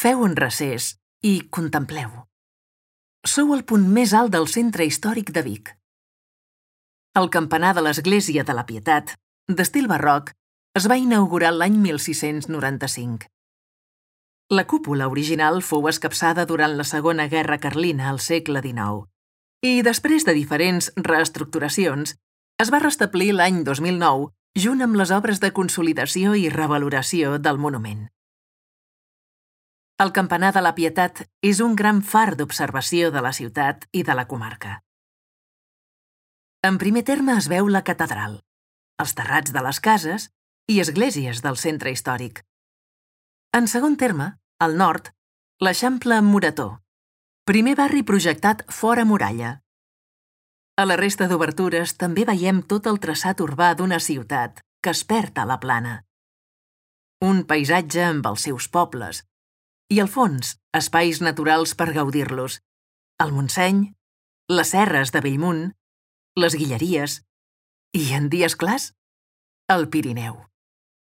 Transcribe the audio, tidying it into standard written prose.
Feu un recés i contempleu. Sou al punt més alt del centre històric de Vic. El campanar de l'Església de la Pietat, d'estil barroc, es va inaugurar l'any 1695. La cúpula original fou escapçada durant la Segona Guerra Carlina al segle XIX i, després de diferents reestructuracions, es va restablir l'any 2009 junt amb les obres de consolidació i revaloració del monument. El campanar de la Pietat és un gran far d'observació de la ciutat i de la comarca. En primer terme es veu la catedral, els terrats de les cases i esglésies del centre històric. En segon terme, al nord, l'Eixample amb Morató, primer barri projectat fora muralla. A la resta d'obertures també veiem tot el traçat urbà d'una ciutat que es perd a la plana. Un paisatge amb els seus pobles, i al fons, espais naturals per gaudir-los. El Montseny, les serres de Bellmunt, les Guilleries i, en dies clars, el Pirineu.